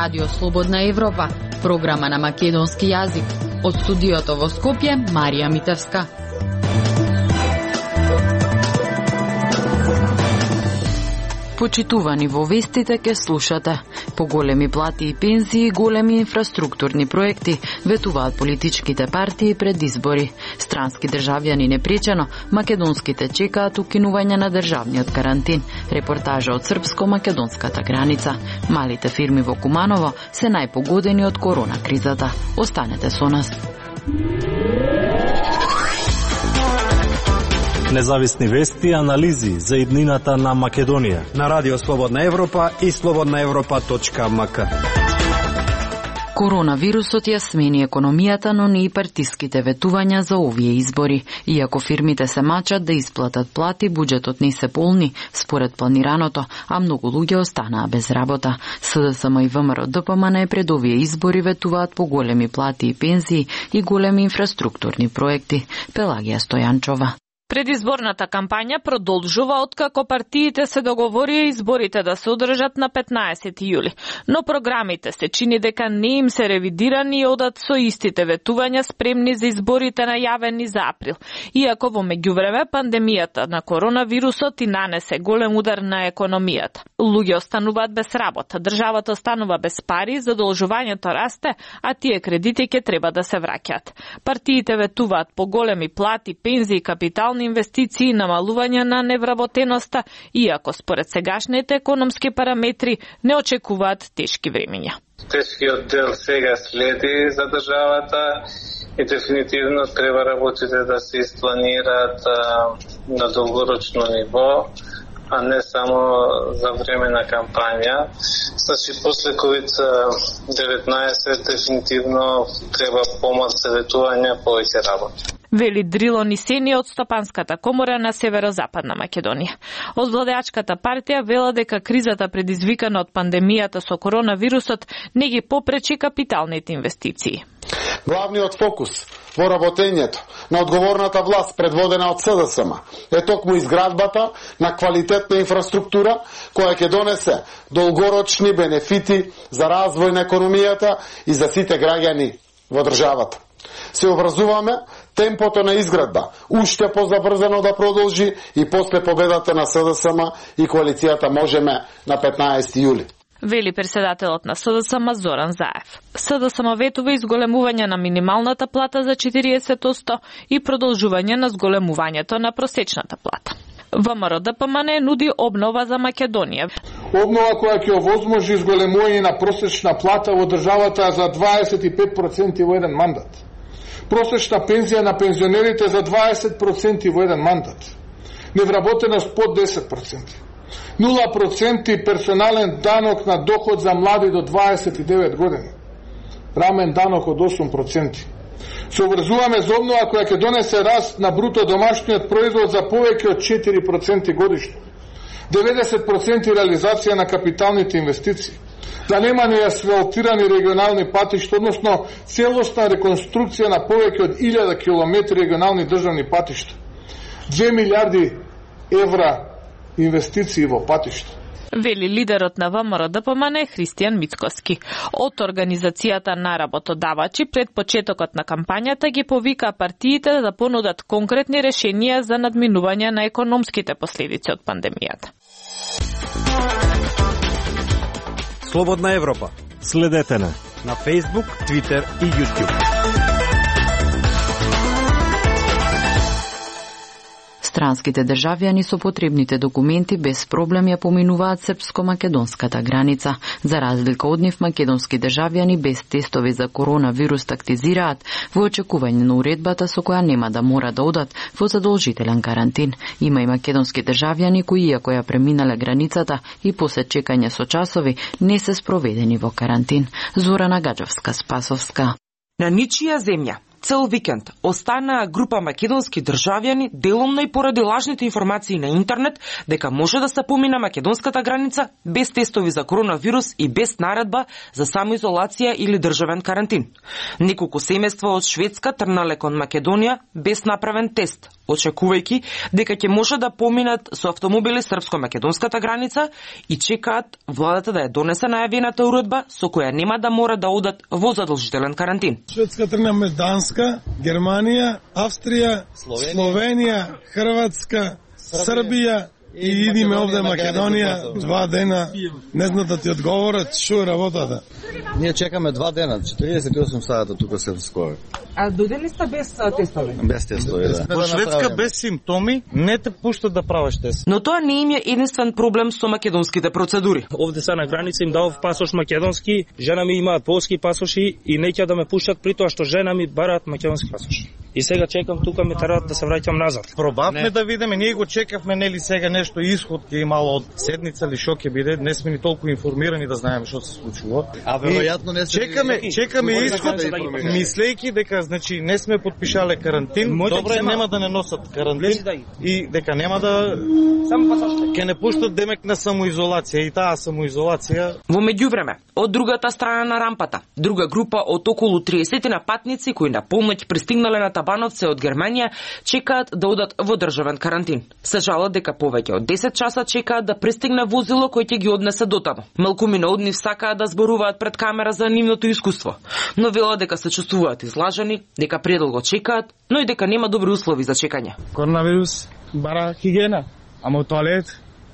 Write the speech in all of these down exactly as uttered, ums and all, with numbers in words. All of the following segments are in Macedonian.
Радио Слободна Европа, програма на македонски јазик. Од студиото во Скопје, Марија Митевска. Почитувани во вестите ке слушате. Поголеми плати и пензии, големи инфраструктурни проекти, ветуваат политичките партии пред избори. Странски државјани непречено, македонските чекаат укинување на државниот карантин. Репортажа од српско-македонската граница. Малите фирми во Куманово се најпогодени од корона кризата. Останете со нас. Независни вести и анализи за иднината на Македонија на Радио Слободна Европа и слободна европа точка ем ка. Коронавирусот ја смени економијата, но не и партиските ветувања за овие избори. Иако фирмите се мачат да исплатат плати, буџетот не се полни според планираното, а многу луѓе останаа без работа. СДСМ и ВМРО Д П М Н пред овие избори ветуваат по големи плати и пензии и големи инфраструктурни проекти. Пелагија Стојанчова. Предизборната кампања продолжува откако партиите се договорија изборите да се одржат на петнаесети јули, но програмите се чини дека не им се ревидирани и одат со истите ветувања спремни за изборите најавени за април. Иако во меѓувреме пандемијата на коронавирусот и нанесе голем удар на економијата. Луѓе остануваат без работа, државата останува без пари, задолжувањето расте, а тие кредити ќе треба да се враќаат. Партиите ветуваат по големи плати, пензии, капитал инвестиции, намалување на невработеноста, иако според сегашните економски параметри не очекуваат тешки времења. Тешкиот дел сега следи за државата и дефинитивно треба работите да се испланираат на долгорочно ниво, а не само за време на кампања. Значи, после ковид деветнаесет дефинитивно треба помал советување, повеќе работа. Вели Дрило Нисени од Стопанската комора на Северозападна Македонија. Од владеачката партија вела дека кризата предизвикана од пандемијата со коронавирусот не ги попречи капиталните инвестиции. Главниот фокус во работењето на одговорната власт предводена од СДСМ е токму изградбата на квалитетна инфраструктура која ќе донесе долгорочни бенефити за развој на економијата и за сите граѓани во државата. Се образуваме темпото на изградба уште позабрзано да продолжи и после победата на СДСМ и коалицијата Можеме на петнаесети јули. Вели председателот на СДСМ Зоран Заев. СДСМ ветува изголемување на минималната плата за четириесет одсто и продолжување на зголемувањето на просечната плата. ВМРО Д П М Н нуди обнова за Македонија. Обнова која ќе овозможи изголемување на просечна плата во државата за дваесет и пет проценти во еден мандат. Просечна пензија на пензионерите за дваесет проценти во еден мандат. Невработеност под десет проценти. нула проценти персонален данок на доход за млади до дваесет и девет години. Рамен данок од осум проценти. Се обврзуваме за обнова која ќе донесе раст на бруто домашниот производ за повеќе од четири проценти годишно. деветдесет проценти реализација на капиталните инвестиции. Да нема неасфалтирани регионални патишта, односно целосна реконструкција на повеќе од илјада километри регионални државни патишта. две милиарди евра инвестиции во патишта. Вели лидерот на ВМРО Д П М Н Христијан Мицкоски. Од Организацијата на работодавачи пред почетокот на кампањата ги повика партиите да понудат конкретни решенија за надминување на економските последици од пандемијата. Слободна Европа. Следете на на Facebook, Twitter и YouTube. Странските државјани со потребните документи без проблем ја поминуваат српско-македонската граница. За разлика од нив, македонски државјани без тестови за коронавирус тактизираат во очекување на уредбата со која нема да мора да одат во задолжителен карантин. Има и македонски државјани кои, иако ја преминале границата и после чекање со часови, не се спроведени во карантин. Зорана Гаджовска-Спасовска. На ничија земја цел викенд останаа група македонски државјани деломно и поради лажните информации на интернет дека може да се помина македонската граница без тестови за коронавирус и без наредба за самоизолација или државен карантин. Неколку семејства од Шведска трнале кон Македонија без направен тест, очекувајќи дека ќе може да поминат со автомобили српско-македонската граница и чекаат владата да ја донесе најавената уредба со која нема да мора да одат во задолжителен карантин. Шведска тргнаме Данска, Германија, Австрија, Словенија, Словенија Хрватска, Србија и идиме овде Македонија два дена. Не знам да ти одговорат што е работата. Ние чекаме два дена, четириесет и осум сата тука се скоро. А дојдени сте без тестови? Без тестови, да. Во Шведска без симптоми не те пуштат да правиш тест. Но тоа не им е единствен проблем со македонските процедури. Овде са на граница им дав пасош македонски, жена ми имаат полски пасоши и неќе да ме пуштат при тоа што жена ми бараат македонски пасош. И сега чекам тука ме терат да се враќам назад. Пробавме да видиме, ние го чекавме нели сега нешто исход ќе имало од седница или што ќе биде, не сме ни толку информирани да знаеме што се случило. А веројатно не се чекаме, чекаме исход, мислејќи дека значи не сме подпишале карантин, добре нема да не носат карантин и дека нема да само пасоште. Ќе не пуштат демек на самоизолација и таа самоизолација. Во меѓувреме, од другата страна на рампата, друга група од околу триесет на патници кои на помоќ пристигнале на Табановце од Германија чекаат да одат во државен карантин. Се жалат дека повеќе од десет часа чекаат да пристигне возило кој ќе ги однесе дотаму. Малкумина од нив сакаат да зборуваат пред камера за нивното искуство, но велат дека се чувствуваат излажени, дека предолго чекаат, но и дека нема добри услови за чекање. Коронавирус бара хигиена, ама тоалет,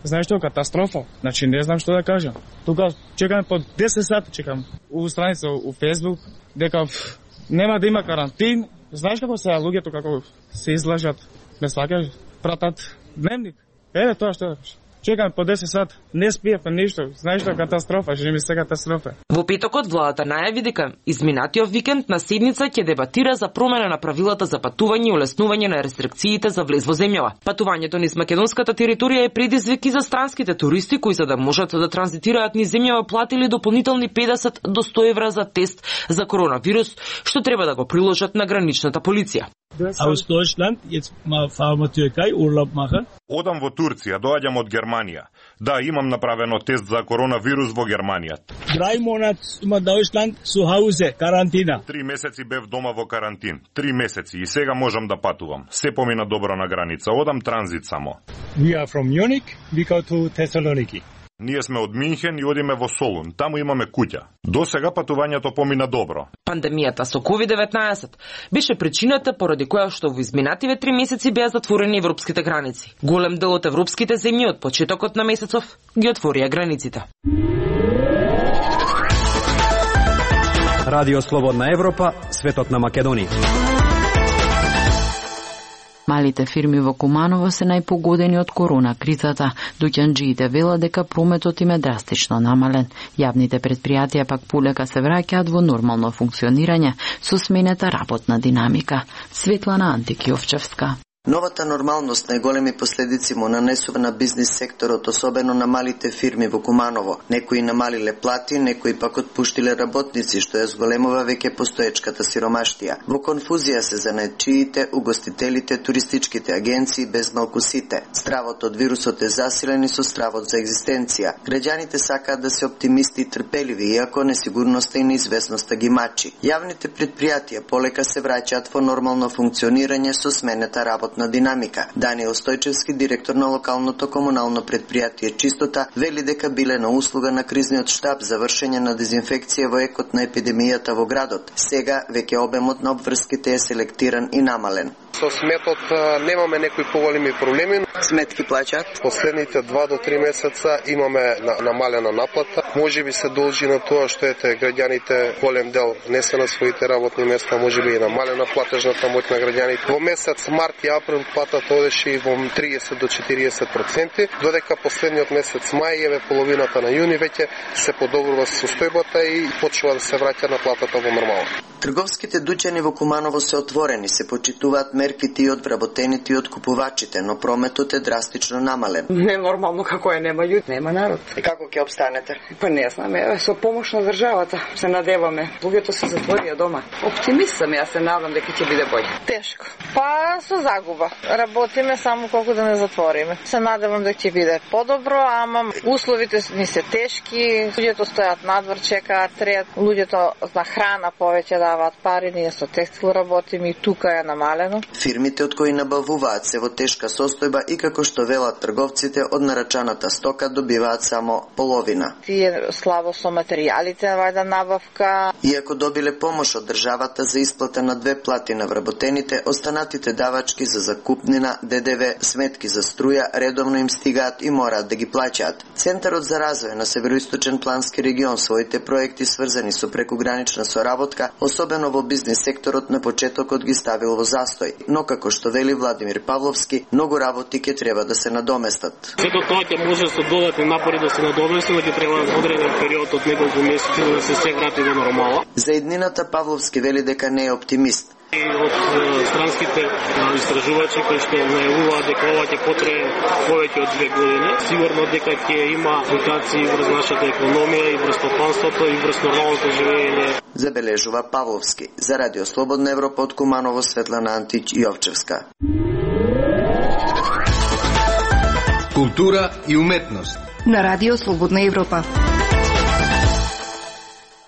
знаеш што, катастрофа. Значи не знам што да кажам. Тука чекаме по десет сати чекам. У страница у Facebook дека пф, нема да има карантин. Знаеш како се луѓето како се излажат, не сваќаш, пратат дневник. Еве тоа што чекаме по десет сати, не спиевме ништо. Знаеш што, катастрофа, што ми се катастрофа. Во петокот владата најави дека изминатиот викенд на седница ќе дебатира за промена на правилата за патување и улеснување на рестрикциите за влез во земјава. Патувањето низ македонската територија е предизвик и за странските туристи кои за да можат да транзитираат низ земјава платили дополнителни педесет до сто евра за тест за коронавирус, што треба да го приложат на граничната полиција. Aus Deutschland, jetzt mal fahren wir Türkei, Urlaub machen. Одам во Турција, доаѓам од Германија. Да, имам направено тест за коронавирус во Германија. Drei Monate in Deutschland zu Hause, Карантина. Три месеци бев дома во карантин. Три месеци и сега можам да патувам. Се помина добро на граница. Одам транзит само. We are from Munich, we go to Thessaloniki. Ние сме од Минхен и одиме во Солун. Таму имаме куќа. До сега патувањето помина добро. Пандемијата со ковид деветнаесет беше причината поради која што во изминативе три месеци беа затворени европските граници. Голем дел од европските земји од почетокот на месецов ги отворија границите. Радио Слободна Европа, светот на Македонија. Малите фирми во Куманово се најпогодени од корона кризата. Дуќанџиите велат дека прометот им е драстично намален. Јавните предпријатија пак полека се враќаат во нормално функционирање со сменета работна динамика. Светлана Антикиовчевска. Новата нормалност најголеми последици му нанесува на бизнис секторот, особено на малите фирми во Куманово. Некои намалиле плати, некои пак отпуштиле работници, што ја зголемува веќе постоечката сиромаштија. Во конфузија се занаетчиите, угостителите, туристичките агенции, без малку сите. Стравот од вирусот е засилен и со стравот за екзистенција. Граѓаните сакаат да се оптимисти и трпеливи, иако несигурноста и неизвестноста ги мачи. Јавните предпријатија полека се враќаат во нормално функционирање со сменета работа на динамика. Даниел Стојчевски, директор на локалното комунално предпријатие Чистота, вели дека биле на услуга на кризниот штаб за вршење на дезинфекција во екот на епидемијата во градот. Сега веќе обемот на обврските е селектиран и намален. Со сметот немаме некои поголеми проблеми. Сметки плаќаат. Последните два до три месеца имаме намалена наплата. Можеби се должи на тоа што ете граѓаните голем дел не се на своите работни места, можеби и намалена платежната моќ на граѓаните. Во месец март и април платата одеше и во триесет до четириесет проценти, додека последниот месец мај и еве половината на јуни веќе се подобрува состојбата и почнува да се враќа на платата во нормално. Трговските дуќани во Куманово се отворени, се почитуваат мерките и од вработените и од купувачите, но прометот е драстично намален. Не нормално како е, нема људ, нема народ. И како ќе обстанете? Па не знам, еве со помош на државата се надеваме. Луѓето се затворија дома. Оптимист сам, јас се надам дека ќе биде боље. Тешко. Па со загуба. Работиме само колку да не затвориме. Се надевам дека ќе биде подобро, ама условите ни се тешки. Луѓето стојат надвор, чекаат, трет. Луѓето за храна повеќе даваат пари, ние со текстил работиме и тука е намалено. Фирмите од кои набавуваат се во тешка состојба и како што велат трговците, од нарачаната стока добиваат само половина. Тие слабо со материјалите, вајда набавка. Иако добиле помош од државата за исплата на две плати на вработените, останатите давачки за закупнина, ДДВ, сметки за струја редовно им стигаат и мораат да ги плаќаат. Центарот за развој на Североисточен плански регион своите проекти сврзани со прекугранична соработка, особено во бизнис секторот, на почетокот ги ставил во застој, но како што вели Владимир Павловски, многу работи ќе треба да се надоместат. Сето тоа ќе може со додатни напори да се надомести, но ќе треба одреден период од неколку месеци да се се врати во нормала. За иднината Павловски вели дека не е оптимист. И од странските истражувачи кои што најавуваат дека ова ќе потрае повеќе од две години, сигурно дека ќе има мутации врз нашата економија и врз стопанството и врз нормалното живење. Забележува Павловски. За Радио Слободна Европа од Куманово, Светлана Антич Јовчевска. Култура и уметност на Радио Слободна Европа.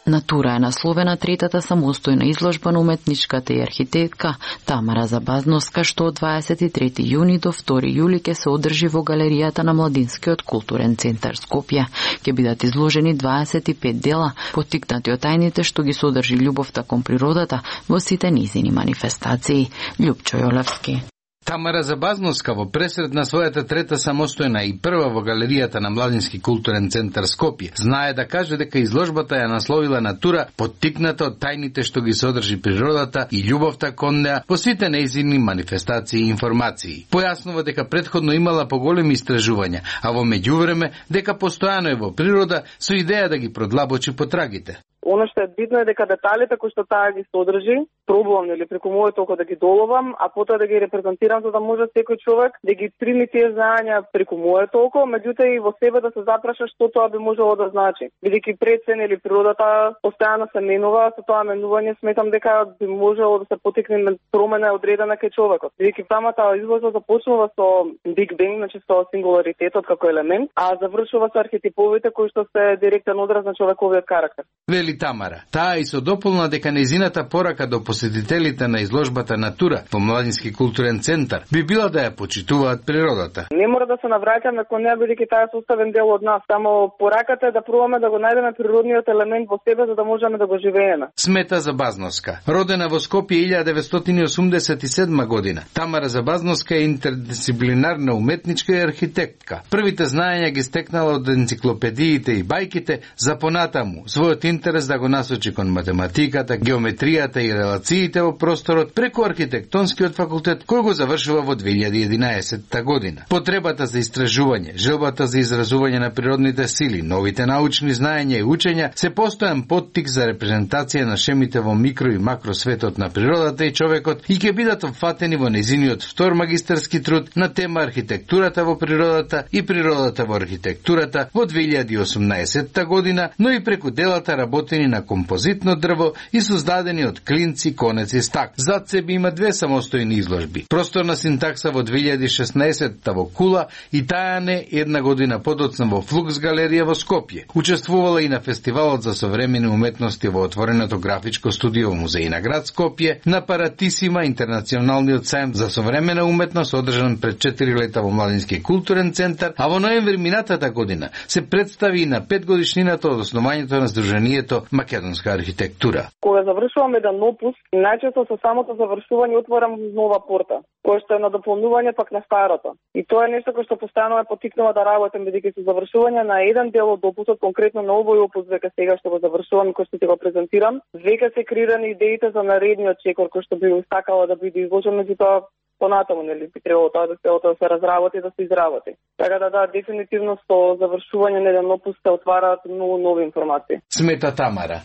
Натура е насловена третата самостојна изложба на уметничката и архитектка Тамара Забазновска, што од дваесет и трети јуни до втори јули ќе се одржи во галеријата на Младинскиот културен центар Скопје. Ќе бидат изложени дваесет и пет дела, поттикнати од тајните што ги содржи љубовта кон природата во сите низини манифестации. Љупчо Јолевски. Тамара Забазновска во пресред на својата трета самостојна и прва во галеријата на Младински културен центар Скопје знае да каже дека изложбата ја насловила Натура, поттикната од тајните што ги содржи природата и љубовта кон неа во сите нејзини манифестации и информации. Појаснува дека претходно имала поголеми истражувања, а во меѓувреме дека постојано е во природа со идеја да ги продлабочи потрагите. Оно што е битно е дека деталите кои што таа ги содржи, пробувам нели преку моето око да ги доловам, а потоа да ги репрезентирам за да може секој човек да ги прими тие знаења преку моето око, меѓутоа и во себе да се запраша што тоа би можело да значи. Бидејќи пред се нели природата постојано се менува, со тоа менување сметам дека би можело да се потекне промена одредена кај човекот. Бидејќи самата изложба започнува со Big Bang, значи со сингуларитетот како елемент, а завршува со архетиповите кои што се директен одраз на човековиот карактер. Вели Тамара. Таа и со дополна дека нејзината порака до посетителите на изложбата Натура во Младински културен центар би била да ја почитуваат природата. Не мора да се навраќаме кон неа, бидејќи таа е составен дел од нас. Само пораката е да пробаме да го најдеме природниот елемент во себе за да можеме да го живееме. Смета Забазновска. Родена во Скопје илјада деветстотини и осумдесет и седма година, Тамара Забазновска е интердисциплинарна уметничка и архитектка. Првите знаења ги стекнала од енциклопедиите и бајките, за понатаму својот интерес да го насочи кон математиката, геометријата и релациите во просторот преку архитектонскиот факултет кој го завршува во две илјади и единаесетта година. Потребата за истражување, желбата за изразување на природните сили, новите научни знаења и учења се постојан поттик за репрезентација на шемите во микро и макро светот на природата и човекот и ќе бидат опфатени во незиниот втор магистарски труд на тема архитектурата во природата и природата во архитектурата во две илјади и осумнаесетта година, но и преку делата работени на композитно дрво и создадени од клинци, конец и стак. Зад себе има две самостојни изложби. Просторна синтакса во две илјади и шеснаесетта во Кула и Тајане една година подоцна во Флукс галерија во Скопје. Учествувала и на фестивалот за современи уметности во отвореното графичко студио во музеј на град Скопје, на Паратисима, интернационалниот сајм за современа уметност одржан пред четири лета во Младински културен центар, а во ноември минатата година се представи и на петгодишнината од основањето на Сдруженијето Македонска архитектура. Кога завршувам еден опус, најчесто со самото завршување отворам нова порта, која што е на дополнување пак на старото. И тоа е нешто кое што постојано ме поттикнува да работам, бидејќи со завршување на еден дел од опусот, конкретно на овој опус веќе сега што го завршувам и кој што ти го презентирам, веќе се креирани идеите за наредниот чекор кој што би сакала да биде изложен, меѓутоа понатаму, нели, би требало тоа да се да се разработи и да се изработи. Така да, да, дефинитивно со завршување на еден опус се отвараат многу нови информации. Смета Тамара.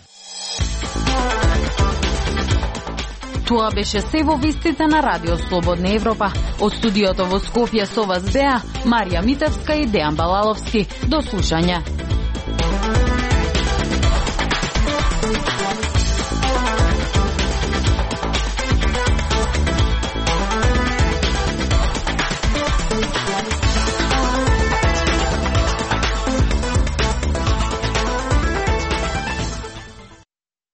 Тоа беше се во вестите на Радио Слободна Европа. Од студиото во Скопје со вас беа Марија Митевска и Дејан Балаловски. До слушање.